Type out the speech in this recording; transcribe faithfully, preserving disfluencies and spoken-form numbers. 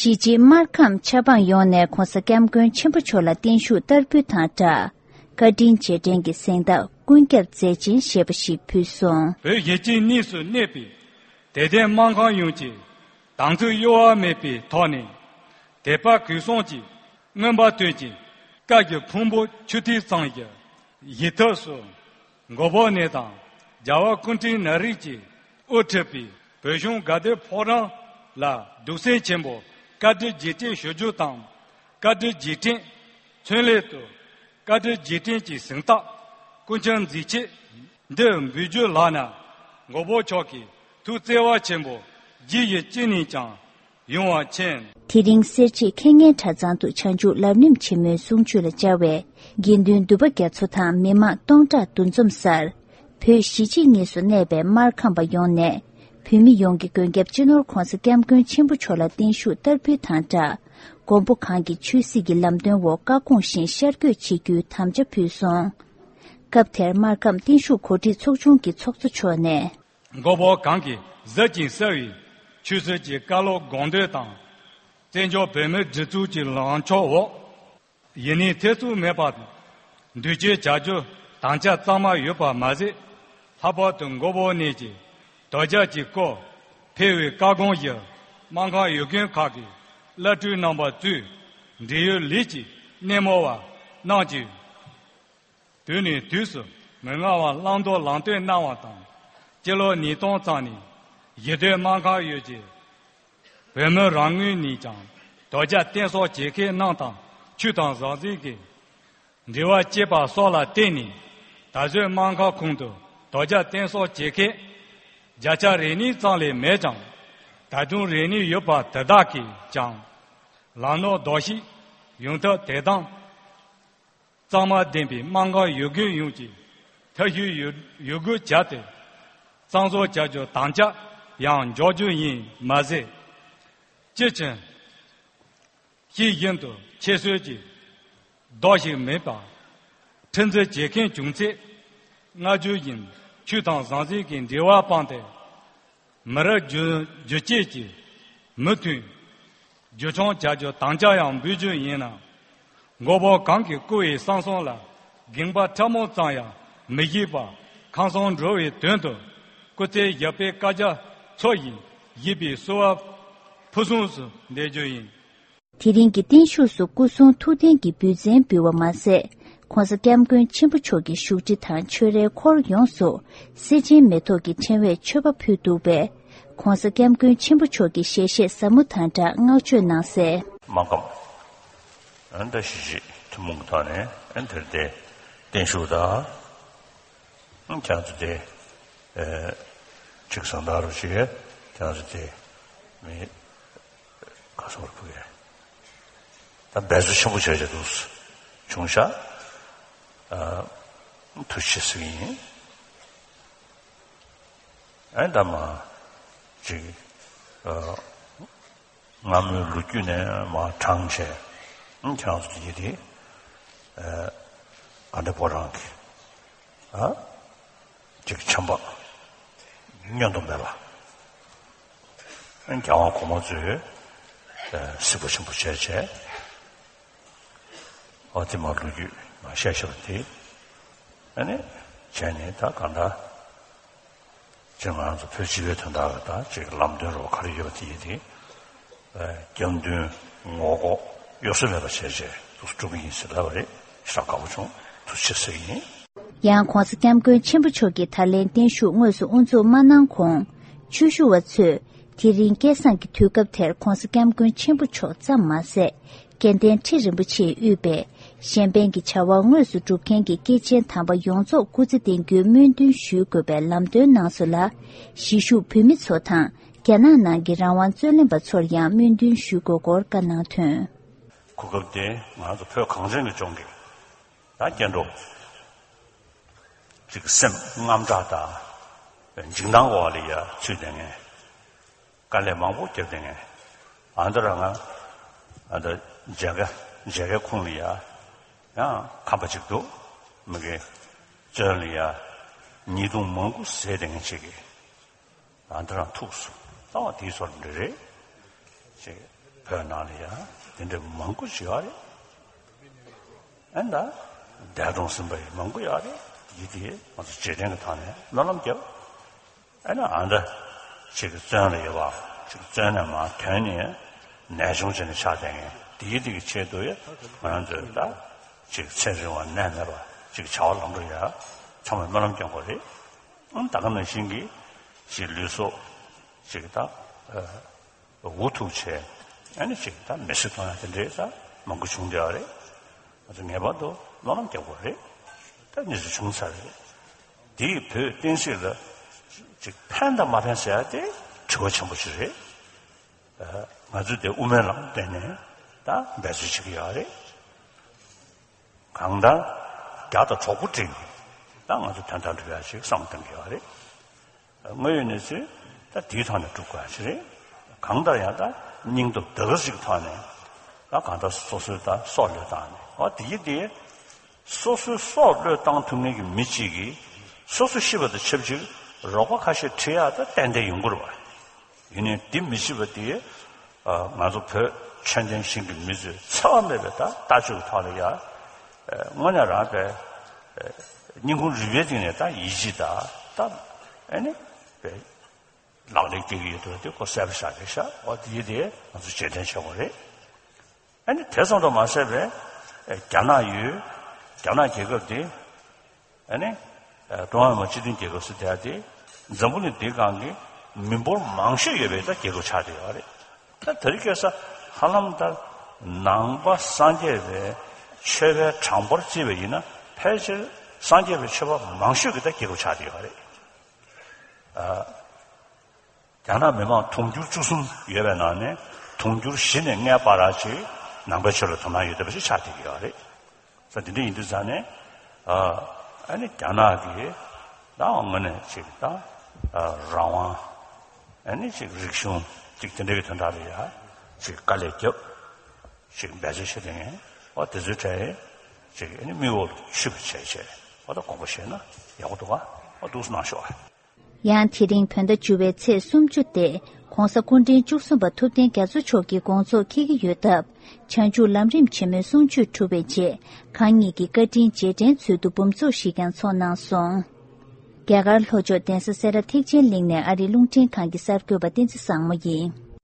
གཞིས་བྱེས་སྨར་ཁམས་ཆབ་འབངས་ཡོངས་ནས་༸གོང་ས་༸སྐྱབས་མགོན་ཆེན་པོ་མཆོག་ལ་བརྟན་བཞུགས་བསྟར་འབུལ་དང་སྦྲགས། བཀའ་དྲིན་རྗེས་དྲན་གྱི་གཟེངས་རྟགས་ཀུན་ཁྱབ་མཛད་ཆེན་ཞེས་པ་ཞིག་ཕུལ་སོང་། བོད་གཞིས་བྱེས་གཉིས་སུ་གནས་པའི་དད་ལྡན་སྨར་ཁམས་ཡོངས་ཀྱིས་དམ་ཚིག་གཡོ་བ་མེད་པའི་ཐོག་ནས་དད་པ་གུས་གསུམ་གྱིས་མངོན་པར་བསྟོད་ཅིང་བཀའ་བརྒྱུད་ཕུང་པོ་ཆུ་ཐིགས་ཙམ་ཞིག་གཞིས་ཐོག་སུ་མགོན་པོ་གནས་དང་རྒྱལ་བ་སྐུ་ཕྲེང་ན་རིམ་གྱིས་དབུ་ཁྲིད་པའི་བོད་གཞུང་དགའ་ལྡན་ཕོ་བྲང་ལ་གདུང་སེམས་ཆེན་པོས་བཀའ་དྲིན་རྗེས་དྲན་ཞུ་རྒྱུ་དང་། བཀའ་དྲིན་རྗེས་དྲན་མཚོན་སླད་དུ་བཀའ་དྲིན་རྗེས་དྲན་གྱི་གཟེངས་རྟགས་ཀུན་ཁྱབ་མཛད་ཆེན་འདི་འབུལ་རྒྱུ་ལགས་ན། མགོན་པོ་མཆོག་གི་ཐུགས་བརྩེ་བ་ཆེན་པོ་རྗེ་ཡི་སྤྱན་ནས་ཀྱང་ཡོང་བ་མཁྱེན། དེ་རིང་སེར་བྱེས་མཁས་སྙན་གྲྭ་ཚང་དུ་བྱང་ཆུབ་ལམ་རིམ་ཆེན་མོའི་གསུང་ཆོས་ལ་བཅར་བའི་དགེ་འདུན་འདུས་པ་རྒྱ་མཚོ་དང་མི་མང་སྟོང་ཕྲག་འདུ་འཛོམས་སར། བོད་གཞིས་བྱེས་གཉིས་སུ་གནས་པའི་སྨར་ཁམས་པ་ཡོངས་ནས་བོད་མི་ཡོངས་ཀྱི་མགོན་སྐྱབས་སྤྱི་ནོར་༸གོང་ས་༸སྐྱབས་མགོན་ཆེན་པོ་མཆོག་ལ་བརྟན་བཞུགས་བསྟར་འབུལ་དང་སྦྲགས། མགོན་པོ་གང་གི་ཆོས་སྲིད་ཀྱི་ལམ་སྟོན་འོག་བཀའ་དགོངས་བཞིན་ཤར་བསྐྱོད་བྱེད་རྒྱུའི་དམ་བཅའ་ཕུལ་སོང་། སྐབས་དེར་སྨར་ཁམས་བརྟན་བཞུགས་གོ་སྒྲིག་ཚོགས་ཆུང་གི་ཚོགས་གཙོ་མཆོག་ནས། མགོན་པོ་གང་གིས་གཟི་བྱིན་གསལ་བའི་ཆོས་སྲིད་ཀྱི་བཀའ་སློབ་དགོངས་དོན་དང་། བཙན་བྱོལ་བོད་མིའི་སྒྲིག་འཛུགས་ཀྱི་ལངས་ཕྱོགས་འོག་ཡིད་གཉིས་ཐེ་ཚོམ་མེད་པར་མདུན་སྐྱོད་བྱ་རྒྱུ་དམ་བཅའ་གཙང་མ་ཡོད་པ་མ་ཟད། ལྷག་པར་དུ་མགོན་པོ་གནས་ཀྱི་དོལ་རྒྱལ་གྱི་སྐོར་ཕེབས་པའི་བཀའ་དགོངས་བཞིན་སྨར་ཁམས་ཡུལ་དགོན་ཁག་གི་བླ་སྤྲུལ་རྣམ་པ་གཙོས་འབྲེལ་ཡོད་ལས་ཀྱི་སྣེ་མོ་བ་རྣམས་ཀྱིས། དུས་ནས་དུས་སུ་མི་མངའ་བར་བླང་དོར་ལམ་སྟོན་གནང་བ་དང་། སྤྱི་ལོ་ཉིས་སྟོང་ཙམ་ནས་གཞིས་སྡོད་སྨར་ཁམས་ཡུལ་གྱི་བོད་མི་རང་ངོས་ནས་ཀྱང་དོལ་རྒྱལ་བསྟེན་གསོལ་བྱེད་མཁན་རྣམས་དང་ཆོས་དང་ཟང་ཟིང་གི་འབྲེལ་བ་བཅད་པ་སོགས་ལ་བརྟེན་ནས། ད་གཟོད་སྨར་ཁམས་ཁོངས་སུ་དོལ་རྒྱལ་བསྟེན་གསོལ་བྱེད་མཁན་བརྒྱ་ཆ་རེ་གཉིས་ཙམ་ལས་མེད་ཀྱང་། ད་དུང་རེ་གཉིས་ཡོད་པ་དེ་དག་གིས་ཀྱང་ལམ་ལུགས་ལྡོག་ཤིག་ཡོང་ཐབས་དེ་དང་། གཙང་མ་ལྡན་པའི་སྨར་ཁམས་ཡུལ་དགོན་ཡོངས་ཀྱིས་ཐབས་ཤེས་ཡོད་ཡོད་དགུ་བྱས་ཏེ། གཙང་བཟོ་བྱ་རྒྱུ་དམ་བཅའ་ཡང་འཇོག་རྒྱུ་ཡིན་མ་ཟད། སྤྱི་ཆིངས་ཤིག་བཞིན་དུ་ཁྱད་གསོད་ཀྱི་ལྡོག་ཞིག་མེད་པར་ཁྲིམས་འཛིན་བྱེད་མཁན་བྱུང་ཚེ། སྔ་རྒྱུ་བཞིན་ཆོས་དང་ཟང་ཟིང་གི་འབྲེལ་བ་སྤངས་ཏེ། མི་རབས་རྒྱུན་རྒྱུན་སྐྱེད་ཀྱི་མུ་མཐུད་རྒྱུན་འཁྱོངས་བྱ་རྒྱུ་དམ་བཅའ་ཡང་འབུལ་རྒྱུ་ཡིན་ལ། མགོན་པོ་གང་གིས་བསྐུལ་བའི་གསང་གསུམ་ལ་དགོངས་པ་ཕྲ་མོ་ཙམ་ཡང་མི་བཞེས་པར་ཁམས་གསུམ་འགྲོ་བའི་དོན་དུ་སྐུ་ཚེ་ཞབས་པད་བསྐལ་བརྒྱར་འཚོ་ཞིང་གཞེས་པའི་གསོལ་བ་ཕུན་སུམ་ཚོགས་སུ་འདེབས་རྒྱུ་ཡིན། དེ་རིང་གི་བརྟན་བཞུགས་སུ་སྐུ་གསུང་ཐུགས་རྟེན་གྱི་འབུལ་ཚན་འབུལ་བ་མ་ཟད། ༸གོང་ས་༸སྐྱབས་མགོན་ཆེན་པོ་མཆོག་གི་བཞུགས་ཁྲི་དང་ཆོས་རའི་འཁོར་ཡོངས་སུ་གསེར་ཆེན་མེ་ཏོག་གི་ཕྲེང་བས་མཆོད་པ་ཕུལ་འདུག་པས། ༸གོང་ས་༸སྐྱབས་མགོན་ཆེན་པོ་མཆོག་གི་ཞལ་བཞེས་ཟབ་མོ་དང་སྦྲགས་བསྔགས་བརྗོད་གནང་གསལ། སྨར་ཁམས་ཨ་ནི་ད་གཞིས་བྱེས་ཐུན་མོང་གི་ཐོག་ནས་ཨ་ནི་དེར་དེ་བརྟན་བཞུགས་དང་། ཁྱེད་ཚོ་དེ་ཨེ་ཅིག་བཟང་དར་རུ་ཞིག་ཁྱེད་ཚོ་དེ་མི་ག་སོར་ཕུག་ཡ་ད་འབད་རྩོལ་ཆེན་པོ་བྱས་བྱས་འདུག་བྱུང་ཤག་ཨ་ཐུགས་རྗེ་ཆེ་ཟེར་གྱི་ཡིན། ཨེ་ད་མ་ཅིག་ཨ་སྔ་མོའི་ལོ་རྒྱུས་ནས་མར་དྲངས་བྱས། ཁྱེད་རང་ཚོ་ཡིད་དེ་ཨ་དགའ་ལྡན་ཕོ་བྲང་གི་ཨ་ཅིག་བྱམས་པ་བསྙོན་དུ་མེད་པ། རྒྱལ་དབང་གོང་མ་ཚོས་ཨ་གཟིགས་པ་ཆེན་པོ་བྱས་བྱས། ཨ་དེ་མ་ལོ་རྒྱུས་མ་བཤད་བཤད་པ་དེ་ཨ་ནི་བྱས་ནས་ད་གང་ལྟར། ཅེས་ང་རང་ཚོ་བོད་སྤྱི་པའི་དོན་དག་ལ་ད་ཅིག་ལམ་སྟོན་རོགས་ག་རེ་ཡོད་པ་དེ་ཡིན་ཏེ། རྒྱབ་མདུན་ངོ་ལྐོག་གཡོ་ཟོལ་མེད་པ་བྱས་བྱས་འདུག་སྒྲུབ་ཀྱི་ཡིན་ཟེར་ལབ་པ་རེད། ཞེ་དྲག་དགའ་པོ་བྱུང་། ཐུགས་རྗེ་ཆེ་ཟེར་གྱི་ཡིན། ཡང་༸གོང་ས་༸སྐྱབས་མགོན་ཆེན་པོ་མཆོག་གིས་ད་ལན་བརྟན་བཞུགས་དངོས་སུ་དབུ་འཛུགས་མ་གནང་གོང་། ཆོས་ཞུ་བ་ཚོས་དེ་རིང་སྐལ་བཟང་གི་དུས་སྐབས་དེར་༸གོང་ས་༸སྐྱབས་མགོན་ཆེན་པོ་མཆོག་ཙམ་མ་ཟད། སྐལ་ལྡན་ཁྲི་རིན་པོ་ཆེས་དབུས་པའི་གཞན་ཕན་གྱི་བྱ་བ་དངོས་སུ་སྒྲུབ་མཁན་གྱི་སྐྱེས་ཆེན་དམ་པ་ཡོངས་རྫོགས་སྐུ་ཚེ་བརྟན་རྒྱུའི་སྨོན་འདུན་ཞུ་དགོས་པའི་ལམ་སྟོན་གནང་སོང་ལ། གཞིས་བཞུགས་བོད་མི་ཚོ་དང་རྒྱ་ནག་ནང་གི་རང་དབང་རྩོད་ལེན་པ་ཚོར་ཡང་སྨོན་འདུན་ཞུ་དགོས་སྐོར་བཀའ་གནང་དོན། གོ་སྐབས་དེ་ང་ཚོ་བོད་གངས་ཅན་གྱི་ལྗོངས་ཀྱི་ད་སྐྱེ་འགྲོ་ཅིག་སེམས་དངངས་སྐྲག་དང་འཇིགས་སྣང་འོག་ལ་ཡ་ཚུད་བསྡད་མཁན། དཀའ་ལས་མང་པོ་བརྒྱབ་བསྡད་མཁན། ཨ་མདོ་ར་ང་ཨ་མདོ་མཇལ་ཁ་མཇལ་ཁའི་ཁུངས་ལ་ཡ་ཡང་ཁམས་པ་ཅིག་འདུག་མི་གི་བཙོན་ལ་ཡ་ཉེས་རྡུང་མང་པོ་བཟས་བསྡད་མཁན་ཅིག་གིས་ཨ་མདོ་ར་ཐུག་སོང་། ལྟ་བ་དེའི་ཚོར་འདྲ་རེད་ཅིག་བོད་ནང་ལ་ཡང་དེ་འདྲ་མང་པོ་ཞིག་ཡོད་རེད། ཨ་ནི་ད་འདས་གྲོངས་ཟིན་པ་ཡང་མང་པོ་ཡོད་རེད། ཡིད་དེ་ང་ཚོ་རྗེས་དྲན་གྱི་ཐོག་ནས་སྨོན་ལམ་རྒྱབ། ཨ་ནི་ཨ་འདྲ་ཅིག་བཙོན་ལ་ཡོད་པ་ཅིག་བཙོན་ནས་མར་ཐོན་ནས་ནད་གཞུང་ཅན་ནས་ཆགས་བསྡད་མཁན་དེའི་དེ་གི་ཆེད་དུ་ཡང་ང་རང་ཚོས་ད་ཅིག་ཚེ་རིང་བ་ནད་མེད་པ་ཅིག་བྱ་བ་ལམ་འགྲོ་ཡ་ཚང་མས་སྨོན་ལམ་སྐྱོན་དགོས་རེད། ཨང་ད་ག་ནང་བཞིན་གྱི་ཅིག་ལུས་སྲོག་ཅིག་ད་འུ་ཐུག་བྱས། ཨ་ནི་ཅིག་ད་མི་གསོད་གཏོང་ཡ་དེ་འདྲའི་ད་མང་པོ་བྱུང་བསྡད་པ་རེད། ང་ཚོ་ངེས་པར་དུ་སྨོན་ལམ་རྒྱག་དགོས་རེད། ད་གནས་ཚུལ་བྱུང་ཚར་རེད། དེ་ཡིས་བོད་བསྟན་སྲིད་ལ་ཅིག་ཕན་དང་མ་ཕན་ཟེར་ཡ་དེ་དྲི་བ་ཆེན་པོ་ཞིག་རེད། ང་ཚོས་དེ་དབུ་མའི་ལམ་བསྟན་ནས་ད་འབད་རྩོལ་བྱེད་ཀྱི་ཡོད་རེད། གང་ལྟར་རྒྱ་དང་གྲོགས་པོ་བསྒྲིགས་ནས་ད་ང་ཚོ་དོན་དག་འགྲུབ་ཡ་ཞིག་བསམ་བཏང་གི་ཡོད་རེད། དངོས་ཡོད་གནས་ཚུལ་ད་དེའི་ཐོག་ནས་སྒྲུབ་དགོས་ཡ་ཞིག་རེད། གང་ལྟར་ཡང་ད་སྙིང་སྟོབས་ད་ག་ཅིག་ཐོག་ནས་ད་གང་ལྟར་སོ་སོའི་ད་སྲོག་བློས་བཏང་ནས་འོ་དེ་ཡིན་དེ། སོ་སོའི་སྲོག་བློས་བཏང་ཐུབ་མཁན་གྱི་མི་གཅིག་གིས་སོ་སོ་ཤི་བ་དང་ཆབས་ཅིག་རོགས་པ་ཁ་ཤས་ཁྲིད་ཡག་ད་ཏན་ཏན་ཡོང་གི་རེད་བ། ཡིན་ནའི་འདི་མི་ཤེས་པ་དེ་ང་ཚོ་བོད་ཆོས་ལྡན་ཞིང་གི་མི་ཚོས་འཚེ་བ་མེད་པའི་ད་ལྟ་སྤྱོད་ཀྱི་ཐོག་ལ་ཡ་དངོས་གནས་རང་པའི་སྙིང་ཁུང་རུས་པའི་གཏིང་ནས་ད་ཡིད་ཆེས་ད་ད་ཨ་ནི་པའི་ལག་ལེན་སྐྱེལ་གྱི་ཡོད་དོ་དེ་ཁོ་གསལ་པོ་ཤར་རེད་ཤག་འོ་དེ་དེ་ང་ཚོ་རྗེས་དྲན་བྱེད་དགོས་རེད། ཨ་ནི་དེ་ཙམ་དུ་མ་ཟད་པའི་རྒྱ་ནག་ཡུལ་རྒྱ་ནག་རྒྱལ་ཁབ་དེ་ཨ་ནི་ཀྲུང་ཧྭ་མི་དམངས་སྤྱི་མཐུན་རྒྱལ་ཁབ་སུ་བསྡད་དེ་འཛམ་བུ་གླིང་འདིའི་སྒང་གི་མི་འབོར་མང་ཤོས་ཡོད་པའི་ད་རྒྱལ་ཁབ་ཆགས་བསྡད་ཡོད་རེད། ད་དེ་རིང་ཁ་སང་ཧ་ལམ་ད་ནང་པ་སངས་རྒྱས་པའི་ཆོས་པའི་གྲངས་འབོར་བརྩིས་པ་ཡིན་ན་ཕལ་ཆེར་སངས་རྒྱས་པའི་ཆོས་པ་མང་ཤོས་ཀྱི་ད་རྒྱལ་ཁབ་ཆགས་བསྡད་ཡོད་རེད། རྒྱ་ནག་མི་མང་དུང་ཕྱུར་བཅུ་གསུམ་ཡོད་པའི་ནང་ནས་དུང་ཕྱུར་བཞི་ནས་ལྔའི་བར་ཅིག་ནང་པའི་ཆོས་ལ་དོ་སྣང་ཡོད་བསྡད་པ་ཞིག་ཆགས་བསྡད་ཀྱི་ཡོད་རེད། ས་དེ་འདྲ་ཡིན་དུས་ཙང་ནས་ཨ་ནི་རྒྱ་ནག་གིས་ད་དངོས་གནས་ཅིག་ད་རང་དབང་ཨ་ནི་ཅིག་རིག་གཞུང་ཅིག་དེ་འདྲ་གི་དོན་དག་ལ་ཡ་ཅིག་དཀའ་ལས་བརྒྱབ་ཅིག་འབད་རྩོལ་བྱེད་བསྡད་མཁན་འོ་དེ་ཚོའི་གྲས་ཅིག་ཨ་ནི་མིག་འོག་ལ་ཆུད་པ་བྱས་བྱས་འོ་ད་དགོངས་པ་བཞེས་ན་ཡག་པོ་འདུག་ག་འོ་འདུག་སེ་གནང་ཤོག་ཨ། ཡང་དེ་རིང་བོད་ཟླ་བཅུ་པའི་ཚེས་སུམ་ཅུ་སྟེ་༧གོང་ས་སྐུ་ཕྲེང་བཅུ་གསུམ་པ་ཐུབ་བསྟན་རྒྱ་མཚོ་མཆོག་གི་དགོངས་རྫོགས་འཁེལ་གྱི་ཡོད་སྟབས། བྱང་ཆུབ་ལམ་རིམ་ཆེན་མོའི་གསུང་ཆོས་གྲུབ་པའི་རྗེས་གང་ཉིད་ཀྱི་བཀའ་དྲིན་རྗེས་དྲན་ཚུལ་དུ་འབུམ་ཚོགས་ཤིག་ཀྱང་ཚོགས་གནང་སོང་། རྒྱ་གར་ལྷོ་ཕྱོགས་གདན་ས་སེ་ར་ཐེག་ཆེན་གླིང་ནས་ཨ་རིའི་རླུང་འཕྲིན་ཁང་གི་གསར་འགོད་པ་བསྟན་འཛིན་བཟང་མོ་ཡིན།